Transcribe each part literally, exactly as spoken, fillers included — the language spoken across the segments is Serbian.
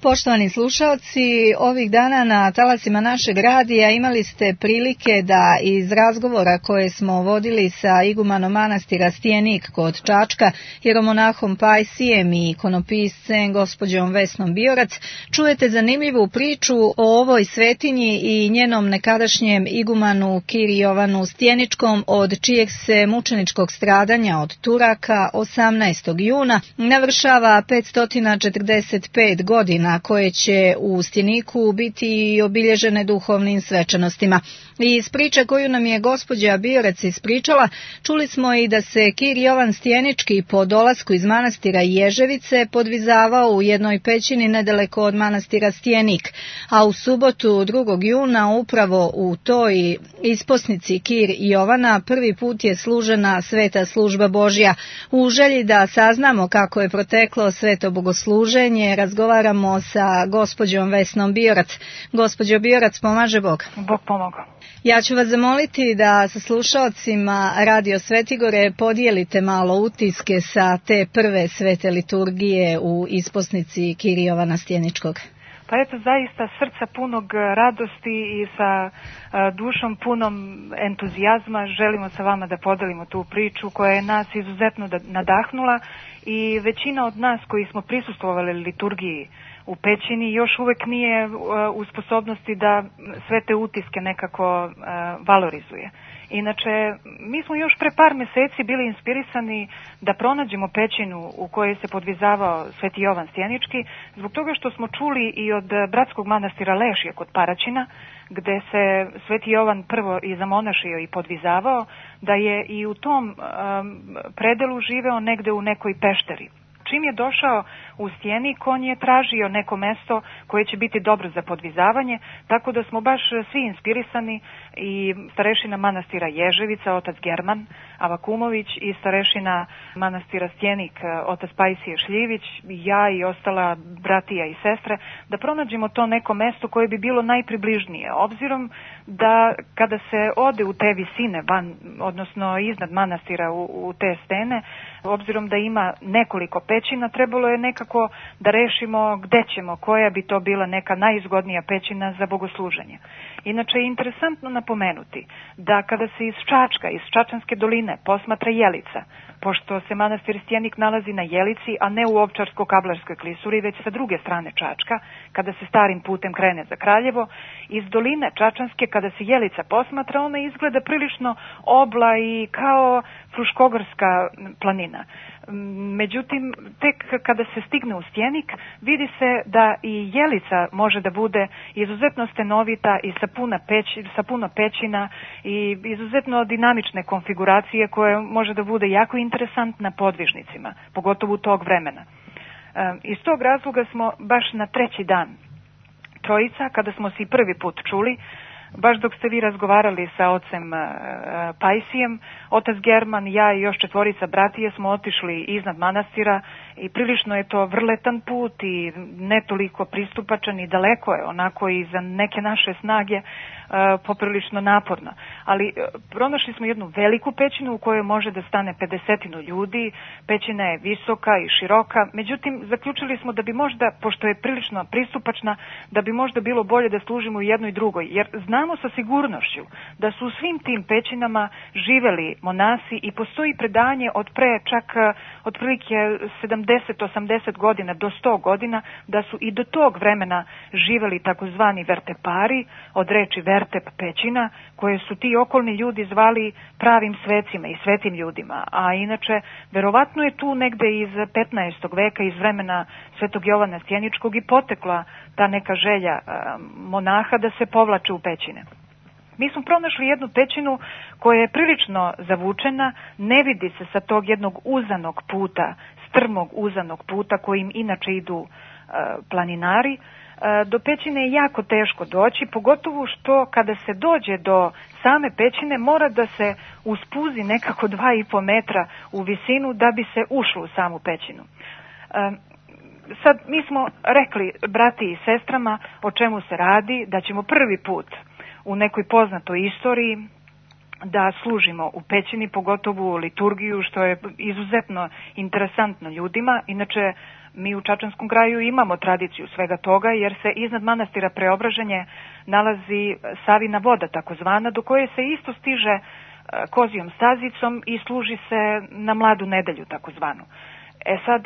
Poštovani slušalci, ovih dana na talasima našeg radija imali ste prilike da iz razgovora koje smo vodili sa igumanom manastira Stjenik kod Čačka, jeromonahom Pajsijem i ikonopiscem gospođom Vesnom Biorac, čujete zanimljivu priču o ovoj svetinji i njenom nekadašnjem igumanu Kiri Jovanu Stjeničkom, od čijeg se mučeničkog stradanja od Turaka osamnaestog juna navršava petsto četrdeset pet godina, koje će u Stjeniku biti obilježene duhovnim svečanostima. I iz priče koju nam je gospođa Biorac ispričala, čuli smo i da se Kir Jovan Stjenički po dolasku iz manastira Ježevice podvizavao u jednoj pećini nedaleko od manastira Stjenik, a u subotu drugog juna upravo u toj isposnici Kir Jovana prvi put je služena sveta služba Božja. U želji da saznamo kako je proteklo sveto bogosluženje, razgovaramo sa gospođom Vesnom Biorac. Gospođo Biorac, pomaže Bog. Bog pomogao. Ja ću vas zamoliti da sa slušaocima Radio Svetigore podijelite malo utiske sa te prve svete liturgije u isposnici Kir Jovana Stjeničkog. Pa eto, zaista srca punog radosti i sa a, dušom punom entuzijazma želimo sa vama da podelimo tu priču koja je nas izuzetno nadahnula, i većina od nas koji smo prisustvovali liturgiji u pećini još uvek nije uh, u sposobnosti da sve te utiske nekako uh, valorizuje. Inače, mi smo još pre par meseci bili inspirisani da pronađemo pećinu u kojoj se podvizavao Sveti Jovan Stjenički, zbog toga što smo čuli i od bratskog manastira Lešje kod Paraćina, gde se Sveti Jovan prvo i zamonašio i podvizavao, da je i u tom um, predelu živeo negde u nekoj pešteri. Čim je došao u Stjenik, on je tražio neko mesto koje će biti dobro za podvizavanje, tako da smo baš svi inspirisani, i starešina manastira Ježevica, otac German Avakumović, i starešina manastira Stjenik, otac Pajsije Šljivić, i ja i ostala bratija i sestre, da pronađemo to neko mesto koje bi bilo najpribližnije, obzirom da kada se ode u te visine, van, odnosno iznad manastira u, u te stene, obzirom da ima nekoliko pećina, trebalo je nekako da rešimo gde ćemo, koja bi to bila neka najizgodnija pećina za bogosluženje. Inače je interesantno napomenuti da kada se iz Čačka, iz Čačanske doline posmatra Jelica, pošto se manastir Stjenik nalazi na Jelici, a ne u Ovčarsko-Kablarskoj klisuri, već sa druge strane Čačka, kada se starim putem krene za Kraljevo, iz doline Čačanske kada se Jelica posmatra, ona izgleda prilično obla i kao Fruškogorska planina. Međutim, tek kada se stigne u Stjenik, vidi se da i Jelica može da bude izuzetno stenovita i sa, puna peć, sa puno pećina i izuzetno dinamične konfiguracije, koje može da bude jako interesantna podvižnicima, pogotovo tog vremena. E, iz tog razloga smo baš na treći dan Trojica, kada smo se i prvi put čuli, baš dok ste vi razgovarali sa ocem uh, Pajsijem, otac German, ja i još četvorica bratije smo otišli iznad manastira, i prilično je to vrletan put i ne toliko pristupačan, i daleko je onako i za neke naše snage uh, poprilično naporno. Ali uh, pronašli smo jednu veliku pećinu u kojoj može da stane pedesetinu ljudi, pećina je visoka i široka, međutim zaključili smo da bi možda, pošto je prilično pristupačna, da bi možda bilo bolje da služimo u jednoj i drugoj, jer znamo sa sigurnošću da su u svim tim pećinama živeli monasi, i postoji predanje od pre čak otprilike sedamdeset osamdeset godina do sto godina da su i do tog vremena živeli takozvani vertepari, od reči vertep pećina, koje su ti okolni ljudi zvali pravim svecima i svetim ljudima. A inače, verovatno je tu negde iz petnaestog veka, iz vremena Svetog Jovana Stjeničkog, i potekla ta neka želja monaha da se povlače u pećine. Mi smo pronašli jednu pećinu koja je prilično zavučena, ne vidi se sa tog jednog uzanog puta, strmog uzanog puta kojim inače idu uh, planinari. Uh, do pećine je jako teško doći, pogotovo što kada se dođe do same pećine mora da se uspuzi nekako dva i po metra u visinu da bi se ušlo u samu pećinu. Uh, sad mi smo rekli brati i sestrama o čemu se radi, da ćemo prvi put u nekoj poznatoj istoriji da služimo u pećini, pogotovo liturgiju, što je izuzetno interesantno ljudima. Inače, Mi u Čačanskom kraju imamo tradiciju svega toga, jer se iznad manastira Preobraženje nalazi Savina voda takozvana, do koje se isto stiže kozijom stazicom i služi se na Mladu nedelju takozvanu. E sad,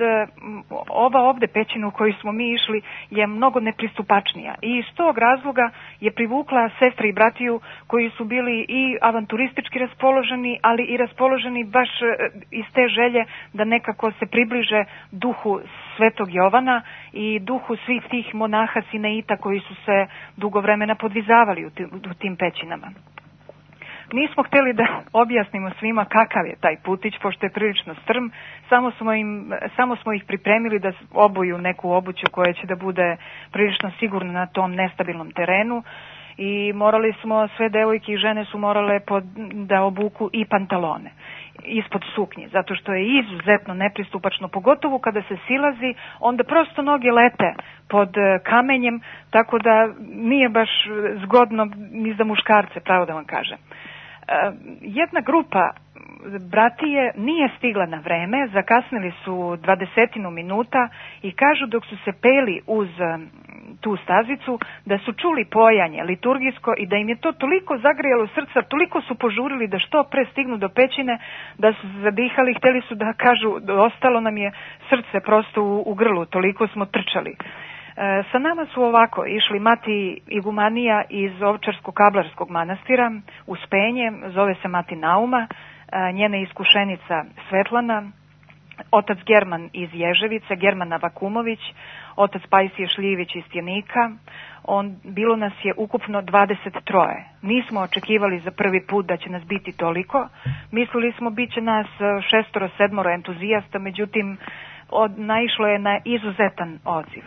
ova ovde pećina u koju smo mi išli je mnogo nepristupačnija i iz tog razloga je privukla sestre i bratiju koji su bili i avanturistički raspoloženi, ali i raspoloženi baš iz te želje da nekako se približe duhu Svetog Jovana i duhu svih tih monaha Sineita koji su se dugo vremena podvizavali u tim, u tim pećinama. Nismo htjeli da objasnimo svima kakav je taj putić, pošto je prilično strm, samo smo, im, samo smo ih pripremili da obuju neku obuću koja će da bude prilično sigurna na tom nestabilnom terenu i morali smo, sve devojke i žene su morale pod, da obuku i pantalone ispod suknje, zato što je izuzetno nepristupačno, pogotovo kada se silazi, onda prosto noge lete pod kamenjem, tako da nije baš zgodno ni za muškarce, pravo da vam kažem. Jedna grupa bratije nije stigla na vreme, zakasnili su dvadesetinu minuta i kažu dok su se peli uz tu stazicu da su čuli pojanje liturgijsko i da im je to toliko zagrijalo srca, toliko su požurili da što pre stignu do pećine, da su se zadihali, htjeli su da kažu ostalo nam je srce prosto u, u grlu, toliko smo trčali. E, sa nama su ovako išli mati igumanija iz Ovčarsko-Kablarskog manastira, Uspenje, zove se mati Nauma, e, njena iskušenica Svetlana, otac German iz Ježevice, Germana Vakumović, otac Pajsije Šljivić iz Tjenika. On, bilo nas je ukupno dvadeset tri. Nismo očekivali za prvi put da će nas biti toliko. Mislili smo bit će nas šestoro, sedmoro entuzijasta, međutim od, naišlo je na izuzetan odziv.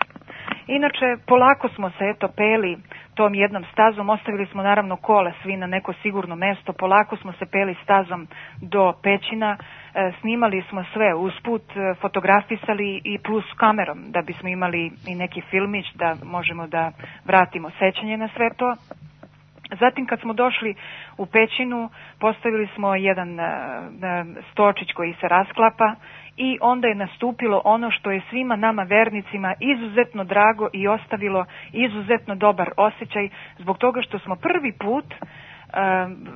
Inače, polako smo se eto peli tom jednom stazom, ostavili smo naravno kola svi na neko sigurno mesto, polako smo se peli stazom do pećina, e, snimali smo sve usput, e, fotografisali i plus kamerom da bismo imali i neki filmić da možemo da vratimo sećanje na sve to. Zatim kad smo došli u pećinu, postavili smo jedan e, stočić koji se rasklapa i onda je nastupilo ono što je svima nama vernicima izuzetno drago i ostavilo izuzetno dobar osjećaj zbog toga što smo prvi put e,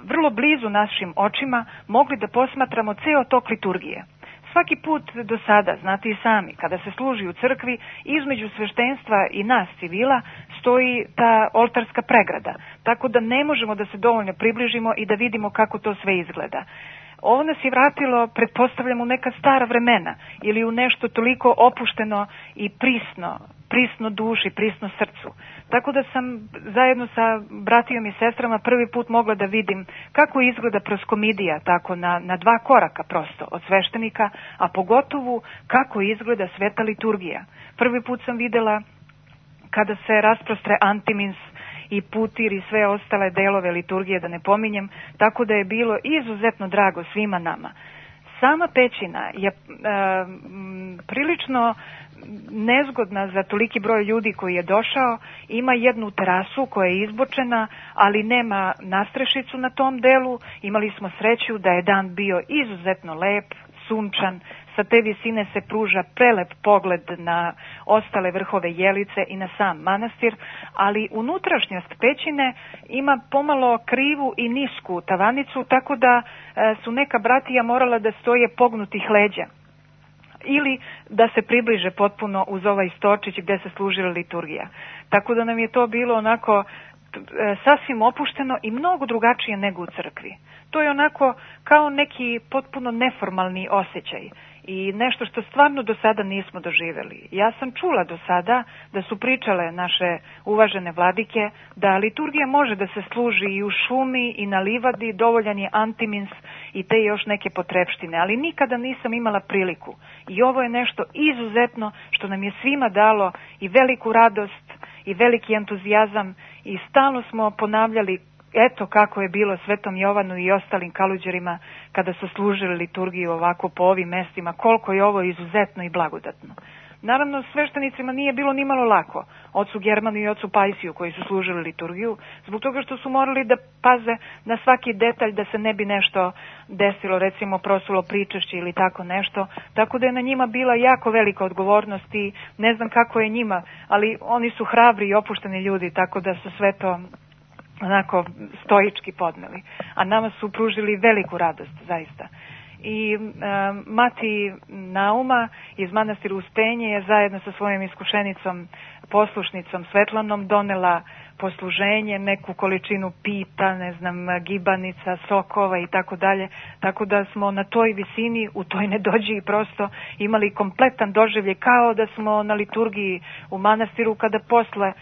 vrlo blizu našim očima mogli da posmatramo ceo tok liturgije. Svaki put do sada, znate i sami, kada se služi u crkvi, između sveštenstva i nas civila stoji ta oltarska pregrada, tako da ne možemo da se dovoljno približimo i da vidimo kako to sve izgleda. Ovo nas je vratilo, pretpostavljam, u neka stara vremena ili u nešto toliko opušteno i prisno, prisno duši, prisno srcu. Tako da sam zajedno sa bratijom i sestrama prvi put mogla da vidim kako izgleda proskomidija, tako na, na dva koraka prosto od sveštenika, a pogotovo kako izgleda sveta liturgija. Prvi put sam videla kada se rasprostre antimins i putir i sve ostale delove liturgije, da ne pominjem, tako da je bilo izuzetno drago svima nama. Sama pećina je e, m, prilično nezgodna za toliki broj ljudi koji je došao, ima jednu terasu koja je izbočena, ali nema nastrešicu na tom delu. Imali smo sreću da je dan bio izuzetno lep, sunčan, sa te visine se pruža prelep pogled na ostale vrhove Jelice i na sam manastir, ali unutrašnjost pećine ima pomalo krivu i nisku tavanicu, tako da e, su neka bratija morala da stoje pognutih leđa ili da se približe potpuno uz ovaj stočić gde se služila liturgija. Tako da nam je to bilo onako e, sasvim opušteno i mnogo drugačije nego u crkvi. To je onako kao neki potpuno neformalni osjećaj i nešto što stvarno do sada nismo doživjeli. Ja sam čula do sada da su pričale naše uvažene vladike da liturgija može da se služi i u šumi i na livadi, dovoljan je antimins i te još neke potrepštine, ali nikada nisam imala priliku. I ovo je nešto izuzetno što nam je svima dalo i veliku radost i veliki entuzijazam i stalno smo ponavljali eto kako je bilo Svetom Jovanu i ostalim kaluđerima kada su služili liturgiju ovako po ovim mestima, koliko je ovo izuzetno i blagodatno. Naravno, sveštenicima nije bilo ni malo lako, ocu Germanu i ocu Pajsiju koji su služili liturgiju, zbog toga što su morali da paze na svaki detalj da se ne bi nešto desilo, recimo prosulo pričešće ili tako nešto, tako da je na njima bila jako velika odgovornost i ne znam kako je njima, ali oni su hrabri i opušteni ljudi, tako da su sve to onako stoički podneli, a nama su pružili veliku radost, zaista. I e, mati Nauma iz manastira Uspenje je zajedno sa svojom iskušenicom, poslušnicom Svetlanom donela posluženje, neku količinu pita, ne znam, gibanica, sokova i tako dalje, tako da smo na toj visini, u toj nedođi prosto imali kompletan doživljaj, kao da smo na liturgiji u manastiru, kada posle e,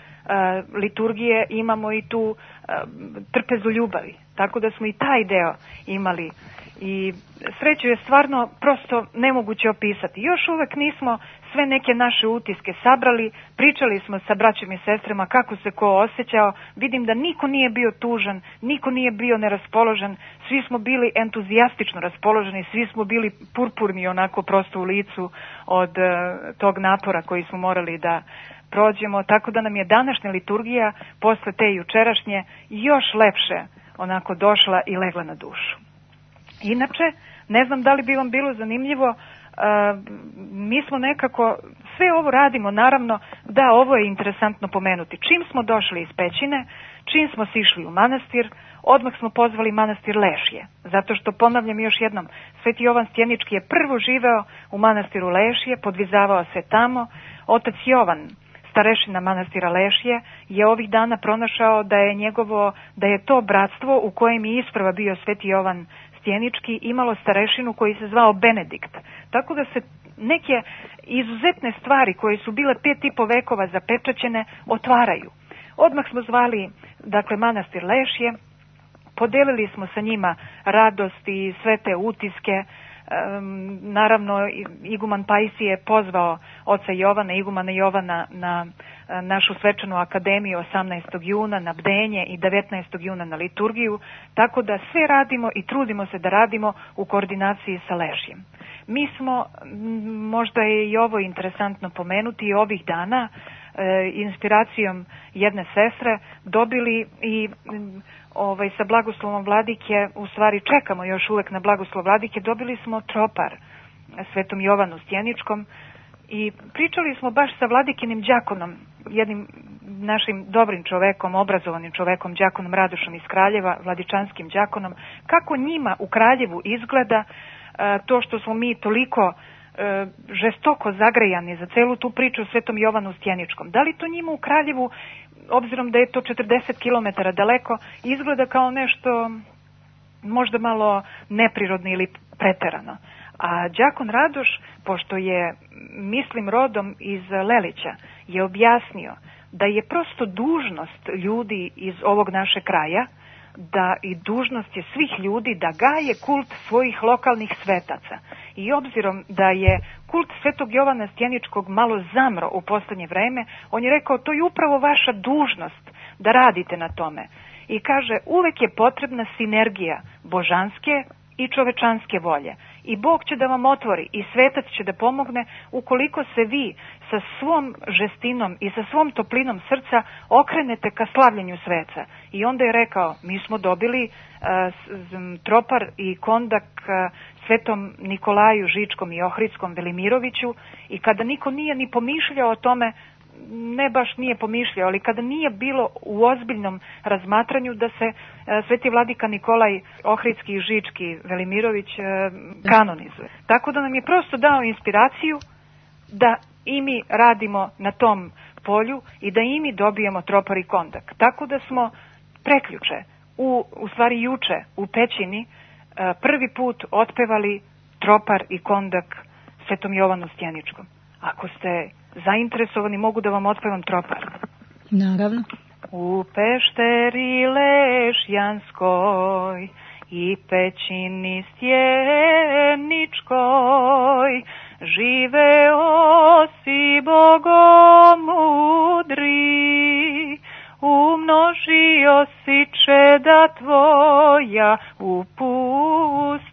liturgije imamo i tu e, trpezu ljubavi, tako da smo i taj deo imali. I sreću je stvarno prosto nemoguće opisati. Još uvek nismo sve neke naše utiske sabrali, pričali smo sa braćom i sestrama kako se ko osjećao, vidim da niko nije bio tužan, niko nije bio neraspoložen, svi smo bili entuzijastično raspoloženi, svi smo bili purpurni onako prosto u licu od uh, tog napora koji smo morali da prođemo, tako da nam je današnja liturgija posle te jučerašnje još lepše onako došla i legla na dušu. Inače, ne znam da li bi vam bilo zanimljivo, uh, mi smo nekako, sve ovo radimo, naravno, da, ovo je interesantno pomenuti. Čim smo došli iz pećine, čim smo sišli u manastir, odmah smo pozvali manastir Lešje, zato što, ponavljam još jednom, Sveti Jovan Stjenički je prvo živeo u manastiru Lešje, podvizavao se tamo, otac Jovan, starešina manastira Lešje, je ovih dana pronašao da je njegovo, da je to bratstvo u kojem je isprva bio Sveti Jovan Stjenički imalo starešinu koji se zvao Benedikt. Tako da se neke izuzetne stvari koje su bile pet i po vekova zapečaćene otvaraju. Odmah smo zvali, dakle, manastir Lešje, podelili smo sa njima radost i sve te utiske. Um, naravno, iguman Pajsije je pozvao oca Jovana, igumana Jovana na a, našu svečanu akademiju osamnaestog juna na bdenje i devetnaestog juna na liturgiju, tako da sve radimo i trudimo se da radimo u koordinaciji sa Lešjem. Mi smo, možda je i ovo interesantno pomenuti, ovih dana e, inspiracijom jedne sestre dobili i ovaj, sa blagoslovom vladike, u stvari čekamo još uvek na blagoslov vladike, dobili smo tropar Svetom Jovanu Stjeničkom i pričali smo baš sa vladikinim đakonom, jednim našim dobrim čovekom, obrazovanim čovekom, đakonom Radošom iz Kraljeva, vladičanskim đakonom, kako njima u Kraljevu izgleda to što smo mi toliko e, žestoko zagrejani za celu tu priču o Svetom Jovanu Stjeničkom. Da li to njima u Kraljevu, obzirom da je to četrdeset kilometara daleko, izgleda kao nešto možda malo neprirodno ili preterano. A đakon Radoš, pošto je, mislim, rodom iz Lelića, je objasnio da je prosto dužnost ljudi iz ovog našeg kraja, da i dužnost je svih ljudi da gaje kult svojih lokalnih svetaca. I obzirom da je kult Svetog Jovana Stjeničkog malo zamro u poslednje vreme, on je rekao, to je upravo vaša dužnost da radite na tome. I kaže, uvek je potrebna sinergija božanske i čovečanske volje. I Bog će da vam otvori i svetac će da pomogne ukoliko se vi sa svom žestinom i sa svom toplinom srca okrenete ka slavljenju sveca. I onda je rekao, mi smo dobili uh, tropar i kondak uh, Svetom Nikolaju Žičkom i Ohridskom Velimiroviću i kada niko nije ni pomišljao o tome, ne baš nije pomišljao, ali kada nije bilo u ozbiljnom razmatranju da se e, Sveti vladika Nikolaj Ohridski i Žički Velimirović e, kanonizuje. Tako da nam je prosto dao inspiraciju da i mi radimo na tom polju i da i mi dobijemo tropar i kondak. Tako da smo preključe, u, u stvari juče u pećini, e, prvi put otpevali tropar i kondak Svetom Jovanu Stjeničkom. Ako ste zainteresovani, mogu da vam otpevam tropar. Naravno. U pešteri Lešjanskoj i pećini Stjeničkoj živeo si bogomudri, umnožio si čeda tvoja u pustinji.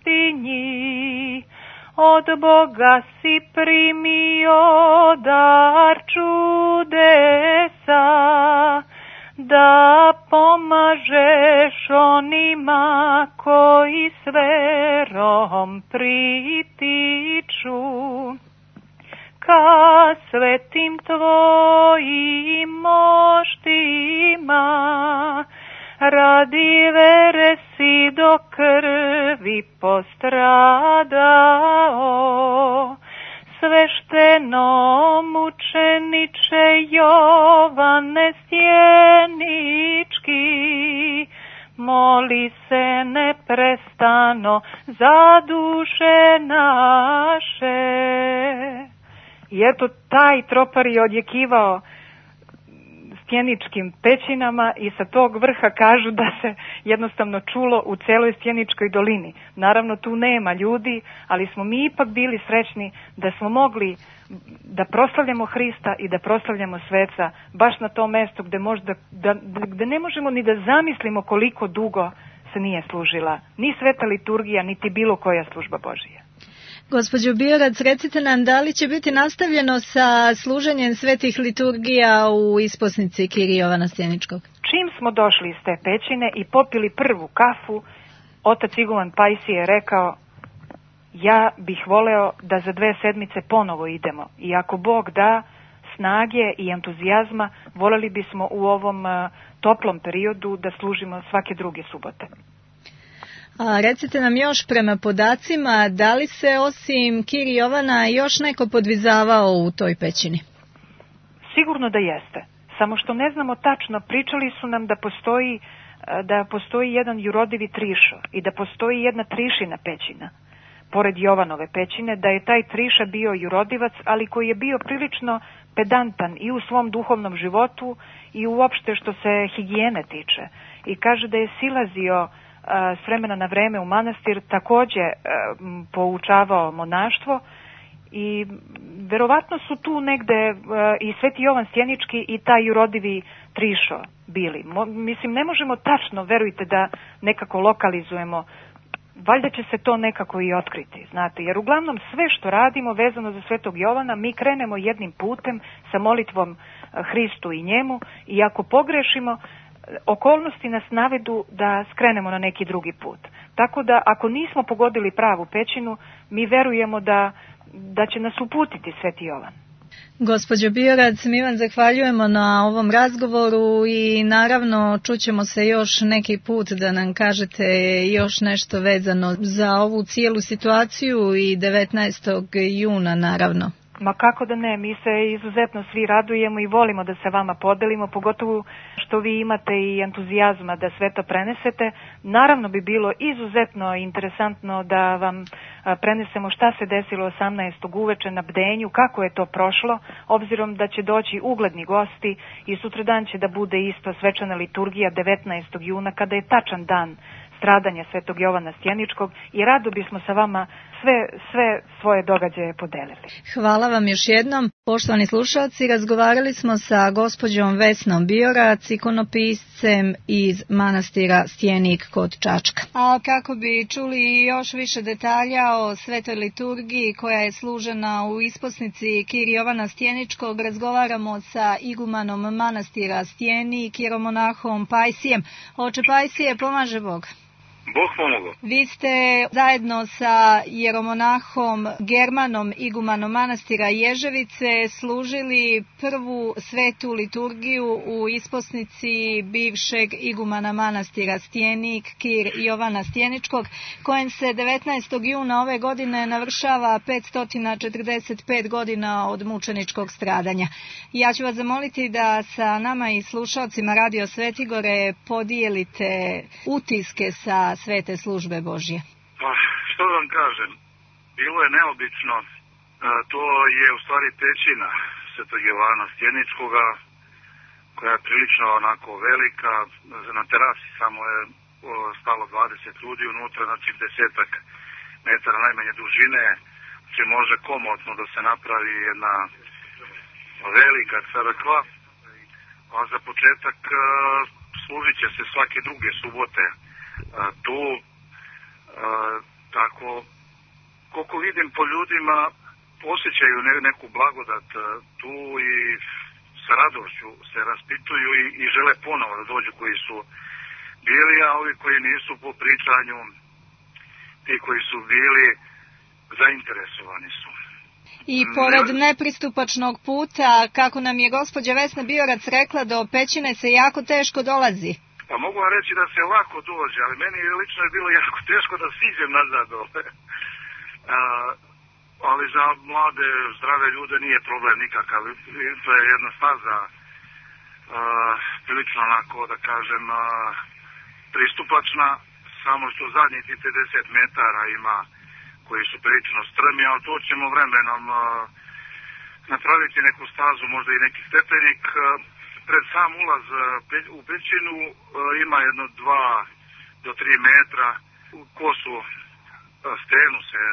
od Boga si primio dar čudesa, da pomažeš onima koji s verom pritiču ka svetim tvojim moštima. Radi vere si do krvi postradao, svešteno mučeniče Jovane Stjenički, moli se neprestano za duše naše. I eto, taj tropar je odjekivao Stjeničkim pećinama i sa tog vrha kažu da se jednostavno čulo u celoj Stjeničkoj dolini. Naravno, tu nema ljudi, ali smo mi ipak bili srećni da smo mogli da proslavljamo Hrista i da proslavljamo sveca baš na tom mestu gde, možda, da, gde ne možemo ni da zamislimo koliko dugo se nije služila ni sveta liturgija, niti bilo koja služba Božija. Gospođo Biorac, recite nam da li će biti nastavljeno sa služenjem svetih liturgija u isposnici Kirija Jovana Stjeničkog? Čim smo došli iz te pećine i popili prvu kafu, otac iguman Pajsije je rekao: ja bih voleo da za dve sedmice ponovo idemo i ako Bog da snage i entuzijazma, voleli bismo u ovom uh, toplom periodu da služimo svake druge subote. A recite nam još prema podacima, da li se osim Kirija Jovana još neko podvizavao u toj pećini? Sigurno da jeste, samo što ne znamo tačno. Pričali su nam da postoji, da postoji jedan jurodivi Trišo i da postoji jedna Trišina pećina pored Jovanove pećine, da je taj Triša bio jurodivac, ali koji je bio prilično pedantan i u svom duhovnom životu i uopšte što se higijene tiče. I kaže da je silazio s vremena na vreme u manastir, takođe poučavao monaštvo i verovatno su tu negde i Sveti Jovan Stjenički i taj jurodivi Trišo bili. Mislim, ne možemo tačno, verujte, da nekako lokalizujemo. Valjda će se to nekako i otkriti, znate, jer uglavnom sve što radimo vezano za Svetog Jovana, mi krenemo jednim putem sa molitvom Hristu i njemu i ako pogrešimo, okolnosti nas navedu da skrenemo na neki drugi put. Tako da ako nismo pogodili pravu pećinu, mi verujemo da, da će nas uputiti Sveti Jovan. Gospođo Biorac, mi vam zahvaljujemo na ovom razgovoru i naravno čućemo se još neki put da nam kažete još nešto vezano za ovu cijelu situaciju i devetnaestog juna naravno. Ma kako da ne, mi se izuzetno svi radujemo i volimo da se vama podelimo, pogotovo što vi imate i entuzijazma da sve to prenesete. Naravno bi bilo izuzetno interesantno da vam prenesemo šta se desilo osamnaestog uveče na bdenju, kako je to prošlo, obzirom da će doći ugledni gosti i sutradan će da bude isto svečana liturgija devetnaestog juna, kada je tačan dan stradanja Svetog Jovana Stjeničkog i rado bismo sa vama sve, sve svoje događaje podelili. Hvala vam još jednom. Poštovani slušalci, razgovarali smo sa gospođom Vesnom Biorac, ikonopiscem iz manastira Stjenik kod Čačka. A kako bi čuli još više detalja o svetoj liturgiji koja je služena u isposnici Kirija Jovana Stjeničkog, razgovaramo sa igumanom manastira Stjenik, jeromonahom Pajsijem. Oče Pajsije, pomaže Bog. Bog pomogao. Vi ste zajedno sa jeromonahom Germanom, igumanom manastira Ježevice, služili prvu svetu liturgiju u isposnici bivšeg igumana manastira Stjenik, Kir Jovana Stjeničkog, kojem se devetnaestog juna ove godine navršava petsto četrdeset pet godina od mučeničkog stradanja. Ja ću vas zamoliti da sa nama i slušalcima Radio Svetigore podijelite utiske sa svete službe Božje. Pa, što da vam kažem, bilo je neobično, to je u stvari pećina Svetog Jovana Stjeničkoga, koja je prilično onako velika, na terasi samo je stalo dvadeset ljudi unutra, znači desetak metara najmanje dužine, će može komotno da se napravi jedna velika crkva, a za početak služit će se svake druge subote tu, tako koliko vidim po ljudima, osjećaju neku blagodat tu i sa radošću se raspituju i, i žele ponovo da dođu koji su bili, a ovi koji nisu po pričanju, ti koji su bili, zainteresovani su. I pored nepristupačnog puta, kako nam je gospođa Vesna Biorac rekla, do Pećine se jako teško dolazi. Pa mogu vam reći da se lako dođe, ali meni lično je bilo jako teško da siđem nazad dole. A, ali za mlade, zdrave ljude nije problem nikakav. To je jedna staza, a, prilično onako, da kažem, a, pristupačna, samo što zadnjih pedeset metara ima koji su prilično strmi, ali to ćemo vremenom a, napraviti neku stazu, možda i neki stepenik. A, pred sam ulaz a, u Pećinu a, ima jedno dva do tri metra u kosu a, stenu se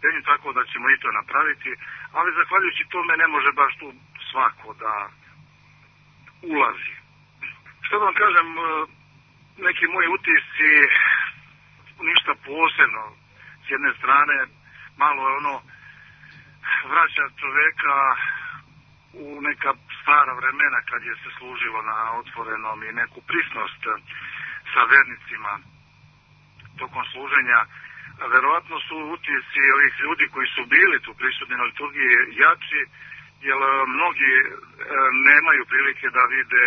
penju, tako da ćemo i to napraviti, ali zahvaljujući tome ne može baš tu svako da ulazi. Što da vam kažem, a, neki moji utisci, ništa posebno. S jedne strane, malo je ono, vraća čoveka u neka stara vremena kad je se služilo na otvorenom i neku prisnost sa vernicima tokom služenja. A verovatno su utisci ovih ljudi koji su bili tu prisutni na liturgiji jači, jer mnogi nemaju prilike da vide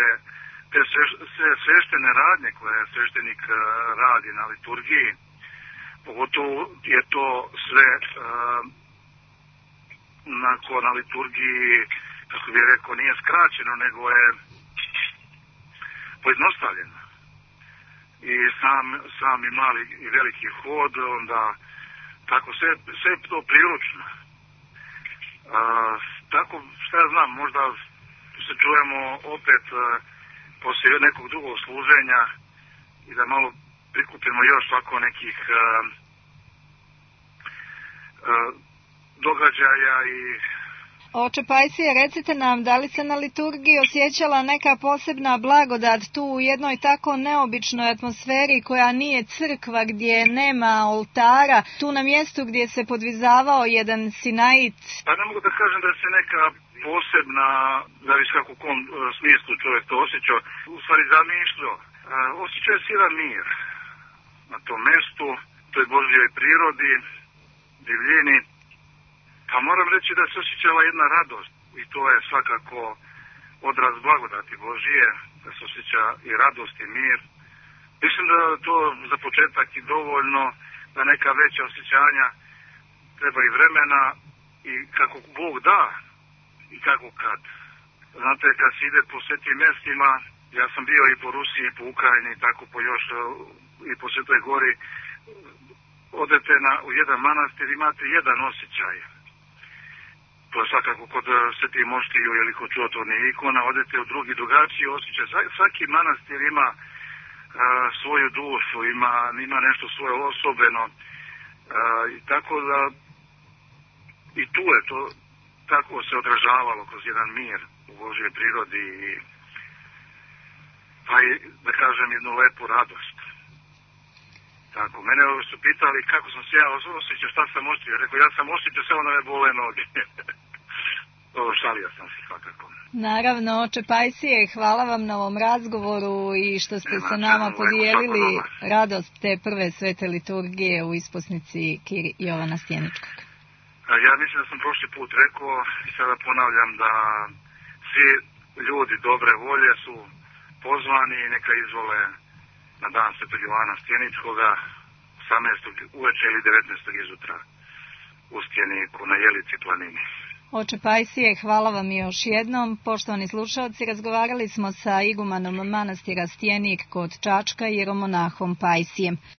te sve sveštene radnje koje sveštenik radi na liturgiji. Pogotovo je to sve uh, nako na liturgiji, kako bih rekao, nije skraćeno, nego je pojednostavljeno. I sam, sam i mali i veliki hod, onda tako sve, sve je to priručno. Uh, tako, šta ja znam, možda se čujemo opet uh, poslije nekog drugog služenja i da malo prikupimo još ovako nekih uh, uh, događaja i... Oče Pajsije, recite nam, da li se na liturgiji osjećala neka posebna blagodat tu u jednoj tako neobičnoj atmosferi koja nije crkva, gdje nema oltara, tu na mjestu gdje se podvizavao jedan sinait? Pa ne mogu da kažem da se neka posebna, zavisi kako u kom smislu čovjek to osjećao, u stvari zamišljao. Osjećao je jedan mir na tom mjestu, toj Božjoj prirodi, divljini. Pa moram reći da se osjećala jedna radost i to je svakako odraz blagodati Božije, da se osjeća i radost i mir. Mislim da to za početak i dovoljno, da neka veća osjećanja treba i vremena i kako Bog da i kako kad. Znate, kad se ide po svetim mjestima, ja sam bio i po Rusiji, i po Ukrajini, tako po još i po Svetoj Gori, odete na, u jedan manastir, imate jedan osjećaj. To je svakako kod Svetih Moštiju ili kod čudotvornih ikona, odete u drugi drugačiji osjećaj. Svaki manastir ima a, svoju dušu, ima, ima nešto svoje osobeno. A, i tako da i tu je to tako se odražavalo kroz jedan mir u Božjoj prirodi i pa i, da kažem, jednu lepu radost. Tako, mene su pitali kako sam se ja osjećao, šta sam osjećao. Rekao, ja sam osjećao samo da me bole noge. Ovo šalio sam se svakako. Naravno, oče Pajsije, hvala vam na ovom razgovoru i što ste Nema, sa nama čemu, podijelili radost te prve svete liturgije u isposnici Kir Jovana Stjeničkog. Ja mislim da sam prošli put rekao i sada ponavljam da svi ljudi dobre volje su pozvani i neka izvole na dan svetog Jovana Stjeničkoga osamnaestog uveče ili devetnaestog izutra u Stjeniku na Jelici planini. Oče Pajsije, hvala vam još jednom. Poštovani slušalci, razgovarali smo sa igumanom manastira Stjenik kod Čačka, jeromonahom Pajsijem.